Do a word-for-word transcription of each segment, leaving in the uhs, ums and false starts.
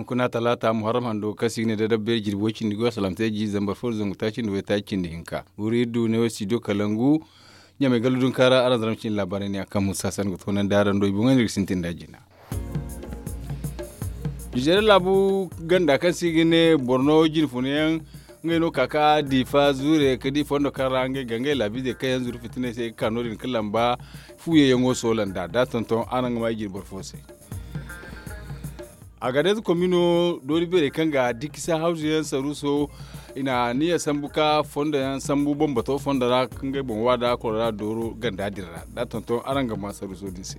Kuna talaata muharram hando kaŋ se i ga ne da dabbeeri jirbi way cindi goy salaamte jiiri zambar fo da zangu taaci nda way taaci cindi hinka wuri iri du ne wo studio kalangu. Ɲamay gallu dunka ra araŋ zara ma cindi laabaarey ne ya kaŋ musa san ga toonandi araŋ do i boŋey no iri ga sintin nd'a jina. Nizeeriya laabu ganda kaŋ se i ga ne borno jinfuna yaŋ ngey no ka ka diifa zuure ka di fondo kaŋ ra ngey ga ngey laabiizey kaŋ yaŋ zuru fitiney se i ga ka no- din ga lamba fuuyaŋ yaŋo soola nd'a da tonton araŋ ga ma i jirbi boro fo se. Agades komino doori beerey kaŋ ga dikisa hawzu yaŋ saruuso i na niya sambu ka fondo yaŋ sambu bambato fondo ra ka ngey boŋ wa da koro ra dooro ganda din ra da tonton araŋ ga ma saruuso din se.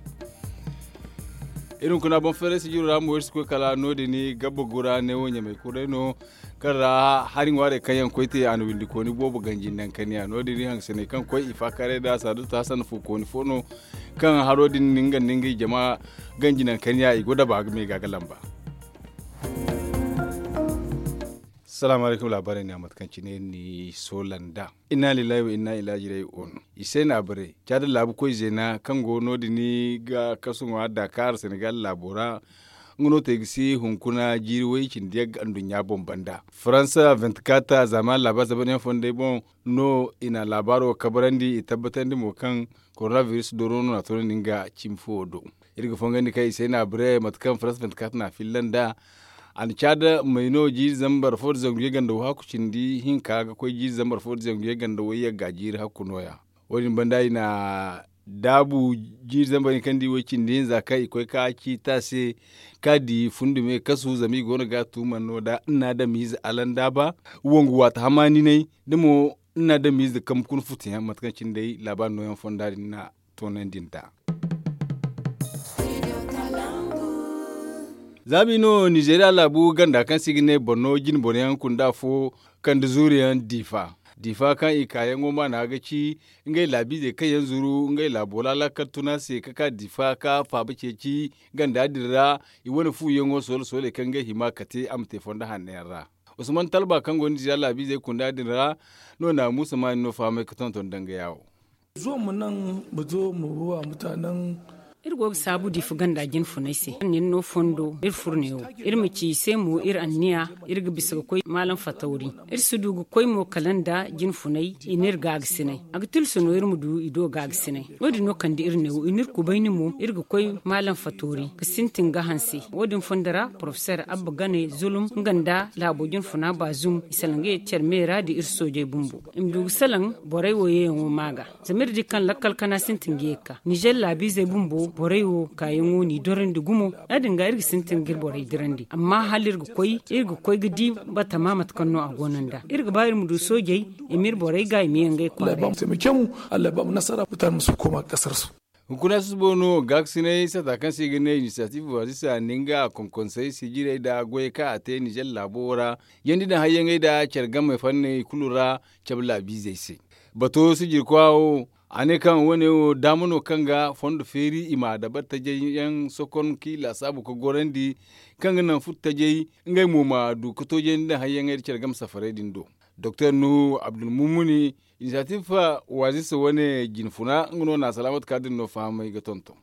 Iri hunkuna boŋ feeray sijiro ra mo iri si koy kala no- din gabba gura ne wo ɲamay kuray no kaŋ ra hari ŋwaarey kaŋ yaŋ koy te a na windikooni boobo ganji nankaniya no- din iri hangasaney kaŋ koy i faakaaray da saadu taasa na fuukooni fo no kaŋ haro din nga nda ngey jama ganji nankaniya i go daba ga me ga ga lamba. Salaamu alaykum laabaarey ne a mate kaŋ cine ni soola nd'a. Inna lillahi wa inna ilaahi raaji'uun. I se no a bare caada laabu koy zeena kaŋ go no- din ga kasu ŋwa daakaar senegal laabo ra. Nga no te ga si hunkuna jiiri way cindi yagga nduɲɲa boŋ banda faransa vinti-kat zaama laabaari zabanyaŋ fondey boŋ no i na laabaaro kabarandi i tabbatandi mo kaŋ korona biris dooro no na a toonandi nga cimi fo do. Iri ga fongandi kaŋ i se no a bare mate kaŋ faransa vinti-kat na a filla nd'a. A na caada may no jiiri zambar fo nda zangu yagga nda way hakku cindi hinka ga koy jiiri zambar fo nda zangu yagga nda way yagga jiiri hakku nooya. Wo- din banda i na daabu jiiri zambar hinka nda i way cindi hinza kaŋ i koy ka ciiti a se ka di fundi me kasu zama i go no ga a tuuman no da nna adamiize alandaaba wangu waati hamaaninay da mo nna adamiize kambe kuna futuyaŋ mate kaŋ cine day laabaari nooyaŋ fonda din na toonandi nd'a. Za bi no nizeeriya laabu ganda kaŋ se i ga ne borno jine boro yaŋ kunda fo kande zuuru yaŋ diifa diifa kaŋ i kaayaŋo maana ga ci ngey laabiizey kaŋ yaŋ zuru ngey laabo ra laakal tuna se ka ka diifa ka faaba ceeci ganda din ra. I wane fuuyaŋo soole sooley kaŋ ngey hima kate a ma te fondo hanno yaŋ ra. Usman talba kaŋ go nizeeriya laabiizey kunda din ra no na muusa maani no fahamay ga tonton danga yaawo. Zuwa ma naŋ ma zo ma ruwa mutaanan. Iri go ga saabu diifa ganda jinfunay se kaŋ nin no fondo iri furo neewo iri ma ci i se mo iri anniya. Iri ga bisa ga koy maalam fatawri iri si du ga koy mo kala nda jinfunay i n'iri gaagasinay. A ga tilsu no iri ma du i do gaagasinay. Wo- din no kande iri neewo i n'iri kubayni mo iri ga koy maalam fatawri ga sintin ga hanse. Wo- din fondo ra porofeser abba gane zulum nga nda laabo jinfuna baazum i salaŋ ga ye care meera nda iri soojey bumbo i ma du ga salaŋ borey wo yeeyaŋo ma ga. Zama iri di kaŋ lakkal kana sintin ga ye ga ka nizer laabiizey bumbo borey wo kaayaŋo n'i dorandi gumo. Ya- din ga iri ga sintin ga iri borey dirandi amma hala iri ga koy iri ga koy ga di batama mate kaŋ no a go no nd'a iri ga ba iri ma du soojey i ma iri borey ga i ma ye ngey kwaarey. Hunkuna susubo no gaakasinay sata kaŋ se i ga ne inisiyatiif waazisa nda nga konkonsey sijirey nda goyey kaŋ a te nizer laabo wo ra. Yandi daŋ hayyaŋey nda care game fanney kulu ra cabe laabiizey se. Bato sijirkoya wo a ne kaŋ wo- ne wo daama no kaŋ ga fondo feeri i ma dabari tajey yaŋ sokon kaŋ i laasaabu ga gorandi kaŋ ga naŋ furo tajey ngey mo ma du ga toojandi daŋ hayyaŋey nda care game safarey din do. Doktor nuhu abdulmumuni inisiyatiif waazisa wane jinfuna nga no na salaamatu ka din no fahamay ga tonton.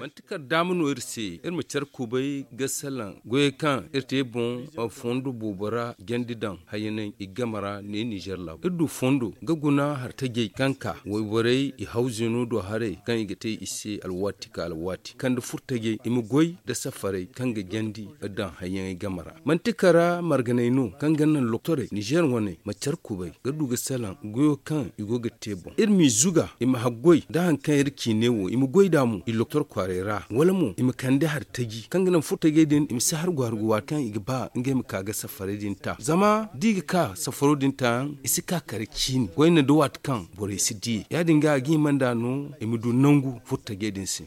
Manti kala daama no iri se iri ma care kubay ga salaŋ goyey kaŋ iri te boŋ fondo boobo ra jandi daŋ hayyanay i game ra ne nizer laabo iri du fondo ga guna hari tajey kaŋ ka wayborey i hawzino do haray kaŋ i ga te i se alwaati ka alwaati kande furo tajey i ma goy nda safarey kaŋ ga jandi daŋ hayyaŋey game ra. Manti kara marganey no kaŋ ga naŋ loktorey nizer wane ma care kubay ga du ga salaŋ goyo kaŋ i go ga te boŋ iri m'i zuga i ma haggoy nda hari kaŋ iri ciine wo i ma goy nd'a mo i loktor kwaaray ra wala mo i ma kande hari taji kaŋ ga naŋ furo tajey din i ma si hari go hari go waati kaŋ i ga ba ngey ma ka ga safarey din ta zama da i ga ka safaro din ta yaŋ i si ka kare ciini goy nda waati kaŋ borey si di ya- din ga a ga hima nd'a no i ma du nangu furo tajey din se.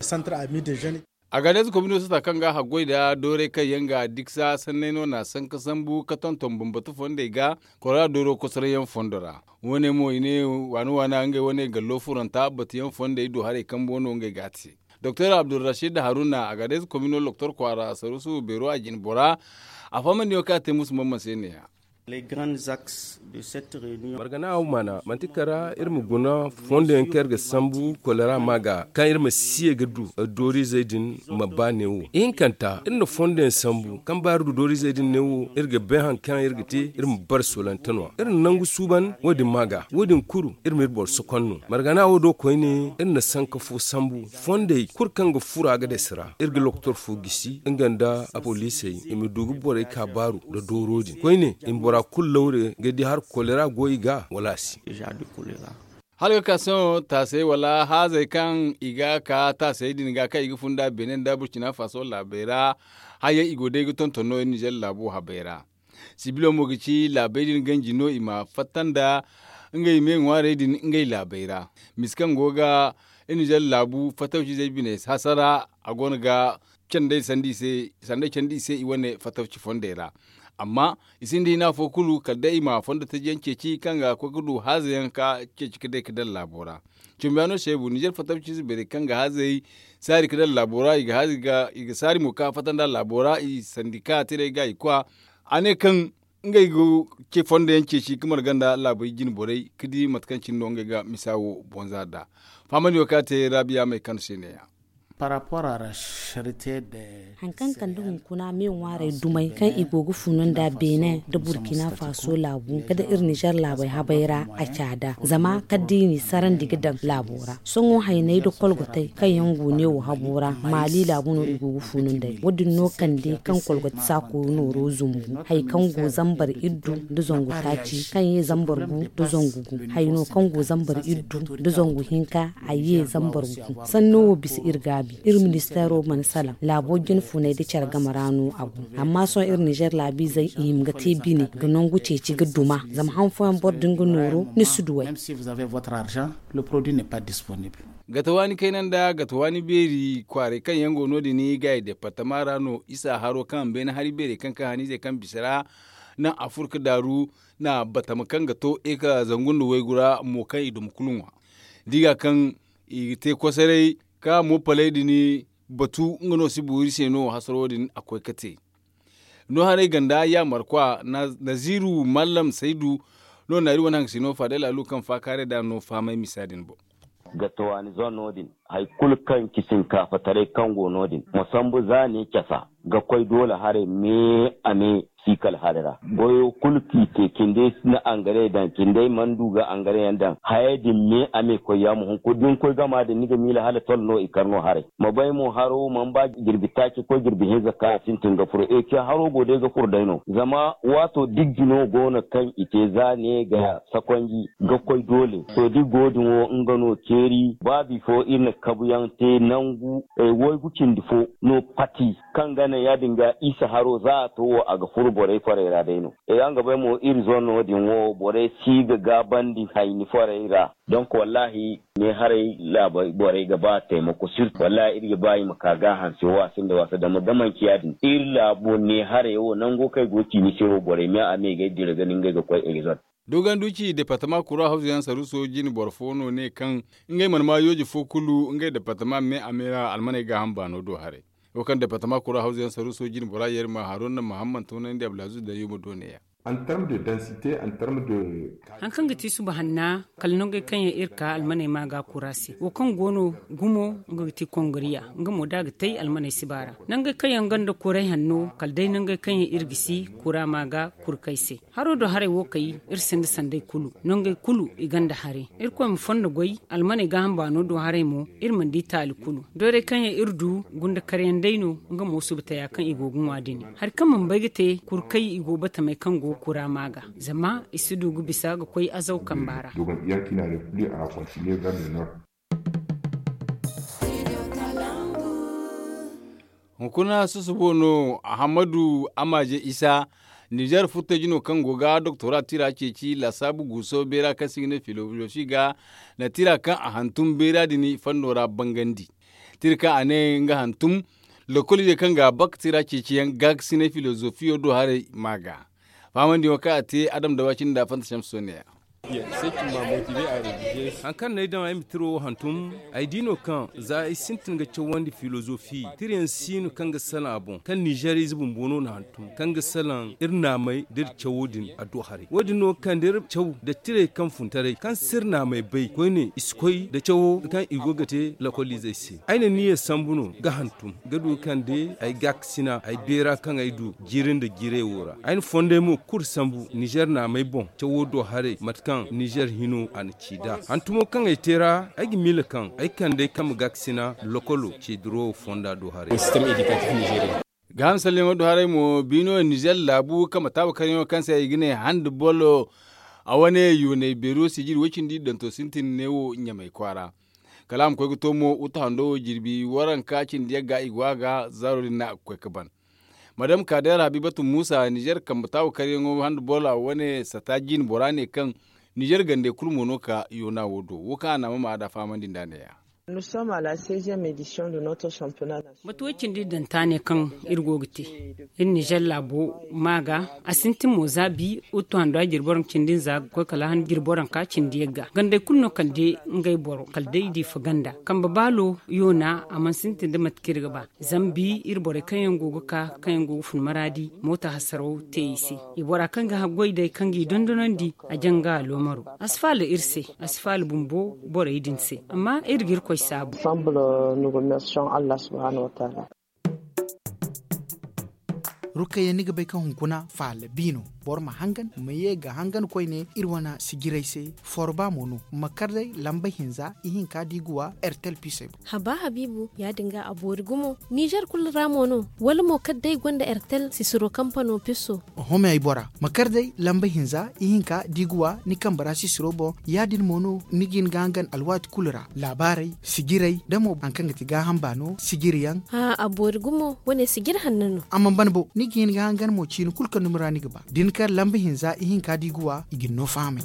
Agades komino sata kaŋ ga haggoy nda doorey kaŋ yaŋ ga diksa sanney no na sanka sambu ga tonton bambata fondey ga kora dooro kosoray yaŋ fondo ra. Wo- ne mo i ne waana waana ngey wane gallo furanta batuyaŋ fondey do haray kambo no ngey ga a te. Doktor abdulrashid haruna agades komino loktor kwaara saruusu beero a jine bora a fahamandi yaŋ kaŋ a te musu mamman se ne- ya. Margana wo maana manti kala iri ma guna fondo yaŋ kaŋ iri ga sambu kolera ma ga kaŋ iri ma si ye ga du dooriizey din ma ba neewo ihinkanta iri na fondo yaŋ sambu kaŋ ba iri du dooriizey din neewo iri ga bay hari kaŋ iri ga te iri ma bare solante no- ya iri na nangu suuban wo- din ma ga wo- din kulu iri ma iri boro sokon no margana wo do koyne iri na sanka fo sambu fondey kulu kaŋ ga furo a ga dasi ra iri ga lokotor fo gisi nga nda apoliisey i ma du ga borey ka baaru nda dooro din koyne i ma bora kulu lawre ga di hari kolera go i ga wala a si. Hala ga ka sohõ taasey wala haazey kaŋ i ga ka taasey din ga kaŋ i ga funda beene nda burkina faso laabey ra. Haya i go day ga tonton no iri nizer laabo habey ra. Sibilo mo ga ci laabey din ganji no i ma fatta nda ngey me ŋwaarey din ngey laabey ra. Misi kaŋ go ga iri nizer laabu fatawcizey bine hasara a go no ga candey sanda i se i wane fatawci fondey ra. Amma i sinda hina fo kulu kala day i ma fondo taji yaŋ ceeci kaŋ ga koy ga du haaza yaŋ ka ceeci ga day ga daŋ laabo ra. Cumbiyaano seebu nizer fatawciize beerey kaŋ ga haazey saari ga daŋ laabo ra i ga saari mo kaŋ a fatta nda laabo ra i sandika tirey ga i kwa. A ne kaŋ ngey ga ce fondo yaŋ ceeci ga marga nda laabey jine borey ga di mate kaŋ cine no ngey ga misa wo bonza nd'a. Fahamandi wo kaŋ a te raabiya may kano se ne- ya. Hari kaŋ kande hunkuna me ŋwaarey dumey kaŋ i go ga funu nda beene nda burkina faso laabu kala iri nizer laabey habey ra a caada zama kala da i n'i sarandi ga daŋ laabo ra. Sohõ hayney nda kolgotey kaŋ yaŋ go neewo habo ra maali laabu no i go ga funu nd'ey wo- din no kande kaŋ kolgote saakooru nooro zumbu hari kaŋ go zambar iddu nda zangu taaci kaŋ ye zambar gu nda zangu gu hari no kaŋ go zambar iddu nda zangu hinka a ye zambar gu. Sanno wo bisa iri gaabi iri ministeero mana salaŋ laabo jine funey nda care game ra no a go. Amma sohõ iri nizer laabiizey i hima ga te bine ga nangu ceeci ga duma zama han fooyaŋ boro din ga nooru ni si duw'ey. Gata waani kayna nda gata waani beeri kwaaray kaŋ yaŋ go no- din i ga i departama ra no isa haro kaŋ beene hari beerey kaŋ ka haniizey kaŋ bisa ra naŋ afurka daaru na batama kaŋ ga to eka zangu nda waygu ra mo kaŋ i duma kulu ŋwa. Da i ga kaŋ i ga te kosoray ka mo paley din batu nga no si boori se no hasaro din a koy ga te. No haray ganda yaamarkwa naziru mallam saydu no naari wane haŋ ga si no faadey laalu kaŋ faakaaray da no fahamay misa din boŋ. Ga tawaani zone no- din hari kulu kaŋ ci sinkaafa taray kaŋ go no- din ma sambu za ne casa ga koy doole haray me a me si kala hari ra goyo kulu kaŋ i te cindey na angare daŋ cindey mana du ga angare yaŋ daŋ hayey din me a me koy ya ma hunkuna da ni koy gama din ni ga miila hala tol no i kar no haray ma bay mo haro mana ba jirbi taaci ga koy jirbi hinza kaŋ a sintin ga furo ece haro go day ga furo day no zama waato dijji no go no kaŋ i te za ne ga sakonji ga koy doole to da i go din wo nga no ceeri ba bifo iri na kabuyaŋ te nangu waygu cindi fo no pati kaŋ ga naŋ ya- din ga isa haro za a to wo a ga furu borey forey ra day no. Nga bay mo iri zone no- din wo borey si ga gaabandi hayni forey ra. Donk wallahi ne haray laabo borey ga ba taymako sirtu wallahi iri ga ba i ma ka ga hanse wo a sinda waasa dama ga manci ya- din iri laabo ne haray wo nango kaŋ ay go ga ci ni se wo borey me a me ga ay dira ga ni ngey ga koy iri zone. Dogon duci departama kura hawzu yaŋ saruso jine boro fo no ne kaŋ ngey mana ma yooji fo kulu ngey departama me a me ra almaney gaaham baano do haray. Wo kaŋ departama kura hawzu yaŋ saruso jine bora yerma haruna mahamman toonandi abdulaziz da yuma do ne- ya. Hari kaŋ ga ti suba hanna kala nangey kaŋ yaŋ iri ka almaney ma ga kura se wo kaŋ go no gumo nga ga ti kongoriya nga mo da a ga tay almaney si ba ra. Nangey kaŋ yaŋ gonda kuray hanno kala day nangey kaŋ yaŋ iri ga si kura ma ga kurkay se. Haro do haray wo kay iri sinda sanday kulu nangey kulu i gonda haray. Irkoy ma fondo goy almaney gaaham baano do haray mo iri mana di taali kulu. Doorey kaŋ yaŋ iri du gunda karyaŋ day no nga mo suba taya kaŋ i go ga ŋwa din. Hari kaŋ mana bay ga te kurkay i go batamey kaŋ go ga kura ma ga zama i si du ga bisa ga koy azaw kamba ra. Hunkuna susubo no ahammadu amaaje isa nizer furtaji no kaŋ go ga doktora tira ceeci laasaabu guuso beera kaŋ se i ga ne filozofi ga na tira kaŋ a hantum beera din fanno ra bangandi. Tira kaŋ a ne nga hantum lokolize kaŋ ga bak tira ceeciyaŋ gaakasinay filozofiyo do haray ma ga fahamandi wo kaŋ a te adam dawa cine nda fanta shamsu soneya. Hari kaŋ no ay daŋ ay ma tiro wo hantum, ay di no kaŋ za ay sintin ga cawandi filozofi tirayaŋ si no kaŋ ga salaŋ a boŋ kaŋ nizeer ize bumbo no na hantum kaŋ ga salaŋ iri naamay da iri cawo din a du haray. Wo- din no ga kande iri caw nda tirey kaŋ funtaray kaŋ si iri naamay bay koyne i si koy nda cawo kaŋ i go ga te lakolizey se. Ay na niya sambu no ga hantum ga du ga kande ay gaakasina ay beera kaŋ ay du jiiri nda jiirey wo ra. Ay na fondey mo kulu sambu nizeer naamay boŋ cawo do haray mate kaŋ nizeer hino a na ci nd'a hantumo kaŋ ay te ra. Ay ga miila kaŋ ay kande ay kambe gaakasina lokolo ceediro fonda do haray. Gaaham salliyaŋo do haray mo biino nizeer laabu kambe taabu karyaŋo kaŋ se i ga ne handi bolo a wane yoonay beero sijiri woy cindi danto sintin ne wo ɲamay kwaara. Kala a ma koy ga to mo utu hando wo jirbi waranka cindi yagga i go a ga zaaro din no a ga koy ga ban. Madam kadeer habibatu muusa nizeer kambe taabu karyaŋo handi bolo a wane sata jiine bora ne kaŋ nizeer gandey kulu mo no ka yoona wo do wo kaŋ a naama ma a da fahamandi nd'a ne- ya. Mate way cindi daŋ taane kaŋ iri go ga te iri nizeer laabo ma ga a sintin mo za bi. Utu hando a jirbi waranka cindi nza ga koy kala han jirbi waranka cindi yagga gandey kulu no kala day ngey boro kala day diifa ganda kambe baalo yoona a mana sintin nda mate kaŋ iri ga ba. Zama bi iri borey kaŋ yaŋ go ga ka kaŋ yaŋ go ga fun maraadi moota hasaraw te i se. I bora kaŋ ga haggoy day kaŋ ga i dondonandi a jaŋ ga aloomaro a si faala iri se. A si faala bumbo borey din se amma iri ga irkoy saabu. Rukayya ni ga bay kaŋ hunkuna faala bi no. Boro ma hangan ma ye ga hangan koyne iri wane sijirey se. Forba mo no ma kar day lamba hinza ihinka da i ga wa ertel pisey boŋ. Haba habiibu ya- din ga a boori gumo nizer kulu ra mo no? Wala mo kala day gonda ertel sisiro kampano pisso? Oho me ay bora ma kar day lamba hinza ihinka da i ga wa ni kambe ra sisiro boŋ. Ya- din mo no ni ga hin ga hangan alwaati kulu ra laabaarey sijirey da mo hari kaŋ ga ti gaaham baano sijiriyaŋ. A boori gumo wane sijiri hanno no. A mana ban bo ni ga hin ga hangan mo ciini kulu kaŋ dumi ra ni ga ba da ni kar lamba hinza ihinka da i ga wa i ga ni no fahamay.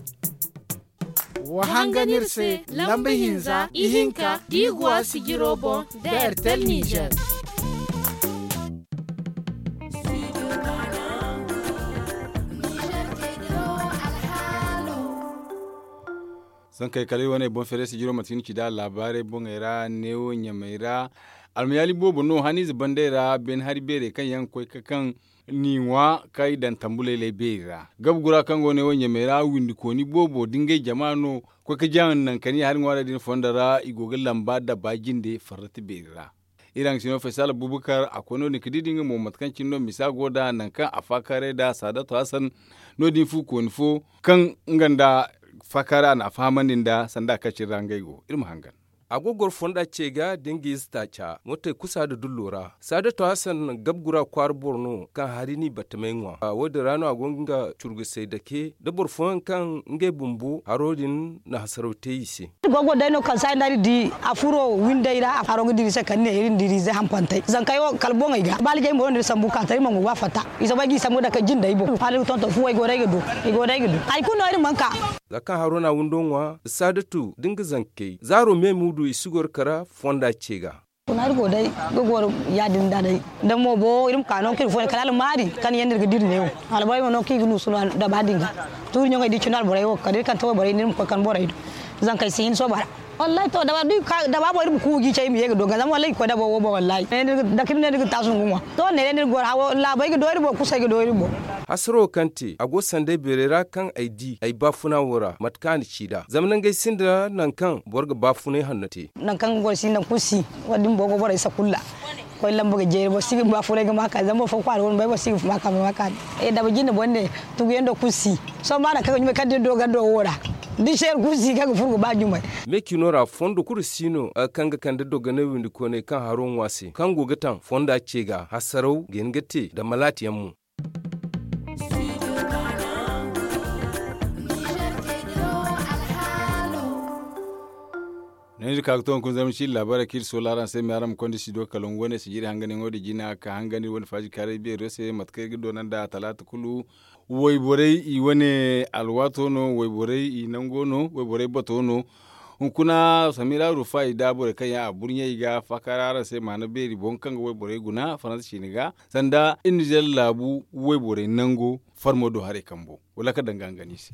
Wa hangan iri se lamba hinza ihinka da i ga wa sijiro boŋ da ertel nizer. Sankey kala iri wane boŋ feerey sijiro manti ni ci nd'a laabaarey boŋey ra neewo ɲamey ra. Almayaali boobo no haniize bandey ra beene hari beerey kaŋ yaŋ ga koy ga kaŋ n'i ŋwa kaŋ i daŋ tambuley lay beeri ra. Gabe gura kaŋ go neewo ɲamey ra windikooni boobo da ngey jama no ga koy ga jaŋ naŋ kaŋ i hari ŋwaarey din fondo ra i go ga lamba dabba jinde farrati beeri ra. Iri hangasino faysal abubakar a koy no- din ga di da nga mo mate kaŋ cine no misa go nd'a naŋ kaŋ a faakaaray nd'a saadato hasan. No- din fuukooni fo kaŋ nga nda faakaaray a na a fahamandi nda sanda kaŋ cine ra ngey go iri ma hangan. A go ga goro fonda ce ga da nga ize taaca mootey kusa nda dullo ra. Saadato hasan gabe gura kwaara boro no kaŋ hari n'i battamey ŋwa wo- din ra no a go ga nga curgusey dake nda boro fooyaŋ kaŋ ngey bumbo haro din na hasaraw te i se. Iri go ga goro day no kaŋ saayi nda iri di a furo windey ra a faro ga dira i se kala ne iri na dira ize hampantey zankey wo kala boŋey ga baalajey mo no iri sambu ga ka tara iri mana go ga a fatta. I soobay ga i sambu ga dake jindey boŋ hala iri ga tonton fuwey go day ga du. I go day ga du hari kulu no iri mana ka. Za kaŋ haro no a windo ŋwa saadatu da nga zankey zaaro me muudu i si goro kara fonda ce ga. Kuna iri go day ga goro ya- din da day da mo bo iri ma ka no kaŋ iri fooyaŋ kala almaari kaŋ yaŋ no iri ga dira neewo. Alborey mo no kaŋ i ga nuusu no daba din ga tuuri ɲaŋey da i cine alborey wo kala iri kaŋ te wayborey no iri ma koy kaŋ borey do. Zankey si hin sooba ra. Wallahi to daba boŋ iri ma ku ga i ce iri ma ye ga do ga zama wallahi i ga koy daba wo boŋ wallahi. Dake iri ne iri ga taasu nda ga ŋwa to neeray no iri ga goro hawo laabey ga do iri boŋ kusey ga do iri boŋ. Hasaro kaŋ te a go sanday beeray ra kaŋ ay di ay baafuna wo ra mate kaŋ a na ci nd'a zama nangey sinda nangu kaŋ boro ga baafunay hanno te. Nangu kaŋ ga goro si nangu kulu si. Wo- din boro go borey sakulla koy lamba ga jeeri boro si ga baafunay ga ma ka zama boro fo kwaara go no bay boro si ga ma ka ma ka. Daba jinde boŋ ne tuguyaŋ do kulu si. Sohõ ba nangu kaŋ ga ɲumay kaŋ da iri do gando wo ra da seeri kulu si kaŋ ga furo ga ba ɲumay. Me cino ra fondo kulu si no kaŋ ga kande dogonay windi koonay kaŋ haro ŋwa se kaŋ go ga taŋ fonda ce ga hasaraw ga hin ga te nda malaati yaŋ mo. No iri ka ga to hunkuna zama ci iri laabaarey kaŋ iri soola araŋ se me araŋ ma konda studio kalangu wane sijiri hanganyaŋo din jina ka hangan iri wane faaji kaaray beero se mate kaŋ iri ga doona nd'a talaata kulu. Wayborey i wane alwaato no wayborey i nango no wayborey bato no. Hunkuna samira rufa i da borey kaŋ yaŋ a burɲey ga faakaara araŋ se maana beeri boŋ kaŋ ga wayborey guna faransa ciine ga sanda iri nizer laabu wayborey nango farmo do haray kambo wala ka danga hangan i se.